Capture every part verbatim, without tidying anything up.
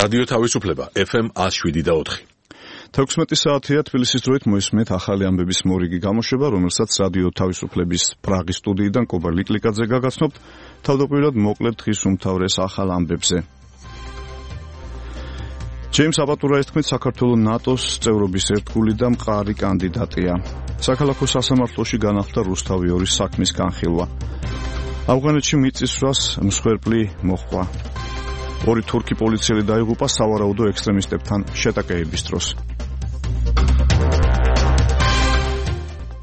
რადიო თავისუფლება ეფ ემ one oh seven და four. თექვსმეტი საათია თბილისის დროით მოისმენთ ახალი ამბების მორიგი გამოშვება, რომელსაც რადიო თავისუფლების პრაღის სტუდიიდან კობა ლიკლიკაძე გაგაცნობთ. თავდაპირველად მოკლედ დღის უმთავრეს ახალ ამბებზე. ჯეიმს აპატურაის თქმით, საქართველოს ნატოს წევრობის ერთგული და მყარი კანდიდატია. საქალაქო სასამართლოში განახლდა რუსთავი ორის საქმის განხილვა. ავღანეთში მიწისძვრას მსხვერპლი მოჰყვა. ორი თურქი პოლიციელი დაიღუპა სავარაუდო ექსტრემისტებთან შეტაკეების დროს.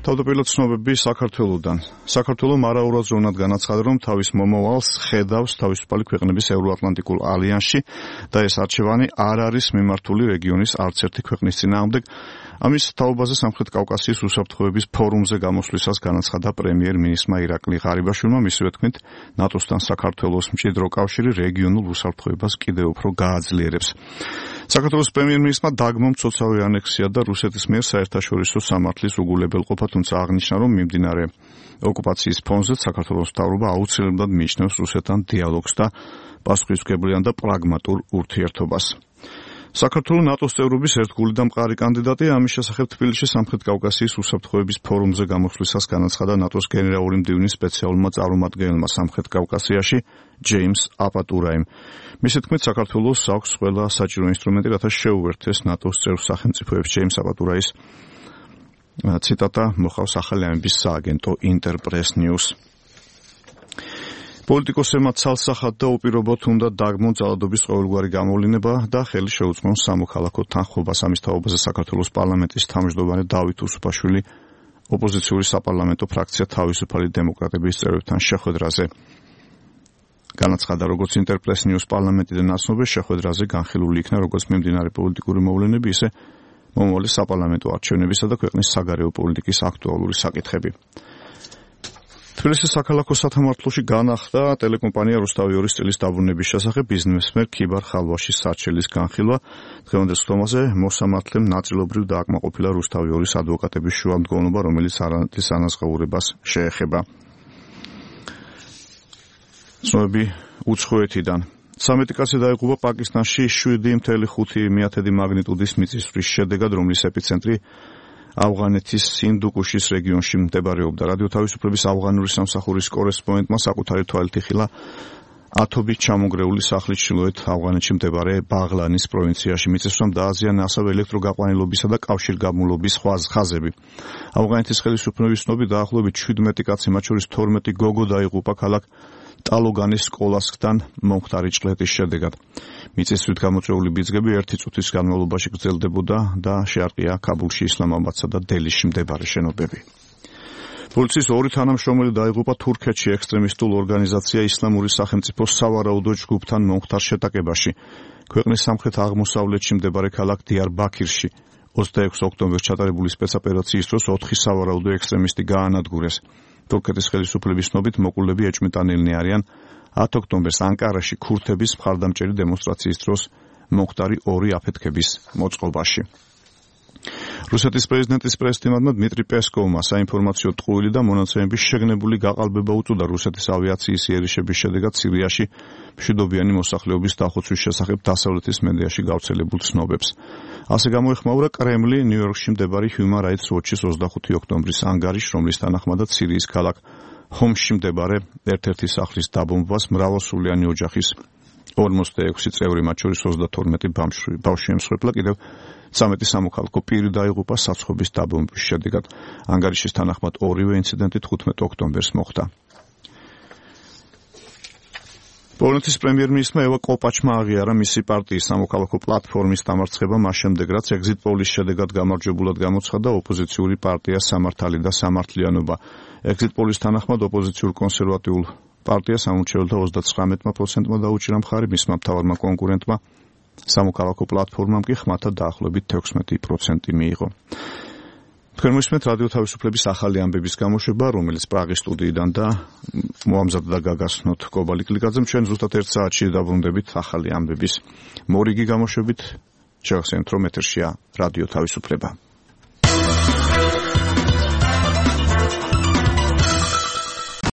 თავდაპირველად ცნობები საქართველოდან. საქართველოს მარაურად ზრუნად განაცხადა, რომ თავის მომავალს ხედავს თავისუფალი ქვეყნების ევროატლანტიკულ ალიანსში და ეს არჩევანი არ არის მიმართული რეგიონის არც ერთი ქვეყნის წინააღმდეგ. ამის თაობაზე სამხრეთ კავკასიის უსაფრთხოების ფორუმზე გამოსვლისას განაცხადა პრემიერ-მინისტრმა ირაკლი ღარიბაშვილმა, მისივე თქმით, ნატოსთან საქართველოს მჭიდრო კავშირი რეგიონულ უსაფრთხოებას კიდევ უფრო გააძლიერებს. საქართველოს პრემიერ-მინისტრმა დაგმო მცოცავი ანექსია და რუსეთის მიერ საერთაშორისო სამართლის უგულებელყოფა, თუმცა აღნიშნა, რომ მიმდინარე ოკუპაციის ფონზე საქართველოს მთავრობა აუცილებლად მიიჩნევს რუსეთთან დიალოგს და პასუხისმგებლიან და პრაგმატულ ურთიერთობას. საქართველოს ნატოს წევრობის ერთგული და მყარი კანდიდატია. ამის შესახებ თბილისში სამხრეთ კავკასიის უსაფრთხოების ფორუმზე გამოსვლისას განაცხადა ნატოს გენერალური მდივნის სპეციალურმა წარმომადგენელმა სამხრეთ კავკასიაში ჯეიმს აპატურაიმ. მისი თქმით, საქართველოს აქვს ყველა საჭირო ინსტრუმენტი, რათა შეუერთდეს ნატოს წევრ სახელმწიფოებს. ჯეიმს აპატურაის ციტატა მოხავს ახალი ამბების სააგენტო ინტერპრეს ნიუს. პოლიტიკოსებმა ცალსახად და უპირობოდ უნდა დაგმონ ძალადობის ყოველგვარი გამოვლინება და ხელი შეუწყონ სამოქალაქო თანხმობას. ამის თაობაზე საქართველოს პარლამენტის თავმჯდომარე დავით უსუფაშვილი ოპოზიციური საპარლამენტო ფრაქცია თავისუფალი დემოკრატების წევრებთან შეხვედრაზე განაცხადა, როგორც ინტერპრეს ნიუს პარლამენტიდან ნაცნობებს შეხვედრაზე განხილული იქნა როგორც მიმდინარე პოლიტიკური მოვლენები, ისე მომავალი საპარლამენტო არჩევნებისა და ქვეყნის საგარეო პოლიტიკის აქტუალური საკითხები. თბილისის საქალაქო სათამართლოში განახლდა ტელეკომპანია რუსთავი ორის წილის დაბრუნების შესახებ ბიზნესმენ ქიბარ ხალვაშის სარჩელის განხილვა. დღევანდელ სხდომაზე მოსამართლემ ნაწილობრივ დააკმაყოფილა რუსთავი ორის ადვოკატების შუამდგომლობა, რომელიც არანაკლის ანაზღაურებას შეეხება. ცნობები უცხოეთიდან. სამეტი კაცი დაიღუპა პაკისტანში შვიდი ფاصლე ხუთი მაგნიტუდის მიწისძვრის შედეგად, რომლის ეპიცენტრი ავღანეთის სინდუკუშის რეგიონში მდებარეობდა. რადიო თავისუფლების ავღანური სამსახურის კორესპონდენტმა საკუთარი თვალით იხილა ათობით ჩამონგრეული სახლის ჩრდილოეთ ავღანეთში მდებარე ბაღლანის პროვინციაში. მიწისძვრამ დააზიანა ასევე ელექტროგაყვანილობისა და კავშირგაბმულობის ხაზები. ავღანეთის ხელისუფლების ცნობით დაახლოებით შვიდმეტი კაცი, მათ შორის თორმეტი გოგო დაიღუპა ქალაქ ტალოგანის სკოლასკთან მომხდარი ჭყლეტის შედეგად. მიწისძვრით გამოწვეული ბიძგები ერთი წუთის განმავლობაში გრძელდებოდა და შეარყია ქაბულში, ისლამაბადსა და დელიში მდებარე შენობები. პოლიციის ორი თანამშრომელი დაიღუპა თურქეთში ექსტრემისტულ ორგანიზაცია ისლამური სახელმწიფოს სავარაუდო ჯგუფთან მომხდარ შეტაკებაში. ქვეყნის სამხრეთ აღმოსავლეთში მდებარე ქალაქ დიარბაქირში ოცდაექვსი ოქტომბერს ჩატარებული სპეცოპერაციის დროს ოთხი სავარაუდო ექსტრემისტი გაანადგურეს. თურქეთის ხელისუფლების ცნობით მოკლულები ეჭვმიტანილნი არიან ათი ოქტომბერს ანკარაში ქურთების მხარდამჭერი დემონსტრაციის დროს მომხდარი ორი აფეთქების მოწყობაში. რუსეთის პრეზიდენტის პრეზიდენტმა დმიტრი პესკოვმა საინფორმაციო ტყუილი და მონაცემების შეგნებული გაყალბება უწოდა რუსეთის ავიაციის იერიშების შედეგად სირიაში მშვიდობიანი მოსახლეობის დახოცვის შესახებ დასავლეთის მედიაში გავრცელებულ ცნობებს. ასე გამოეხმაურა კრემლი ნიუ-იორკში მდებარე Human Rights Watch-ის ოცდახუთი ოქტომბრის ანგარიშს, რომლის თანახმადაც სირიის ქალაქ ჰომსში მდებარე ერთ-ერთი სახლის დაბომბვას მრავალსულიანი ოჯახის ორმოცდაექვსი წევრი, მათ შორის ოცდათორმეტი ბავშვი ემსხვერპლა, კიდევ ცამეტი სამოქალაქო პირი დაიღუპა საცხობის დაბომბვის შედეგად. ანგარიშის თანახმად ორივე ინციდენტი თხუთმეტი ოქტომბერს მოხდა. პოლონეთის პრემიერ-მინისტრმა ევა კოპაჩმა აღიარა მისი პარტიის სამოქალაქო პლატფორმის დამარცხება მას შემდეგ, რაც ეგზიტ პოლის შედეგად გამარჯვებულად გამოცხადა ოპოზიციური პარტია სამართალი და სამართლიანობა. ეგზიტ პოლის თანახმად ოპოზიციურ კონსერვატიულ პარტიას სამორჩეველთა ოცდათხრამეტი პროცენტმა დაუჭირა მხარი, მისმა მთავარმა კონკურენტმა სამოქალაქო პლატფორმამ კი ხმათა დაახლოებით თექვსმეტი პროცენტი მიიღო. თქვენ მოსმენთ რადიო თავისუფლების ახალი ამბების გამოშვება, რომელიც პრაღის სტუდიიდან და მოამზადდა გაგაცნოთ კობა ლიკლიკაძემ. ჩვენ ზუსტად ერთ საათში დაბრუნდებით ახალი ამბების მორიგი გამოშვებით. შევახსენებთ, რომ ეთერშია რადიო თავისუფლება.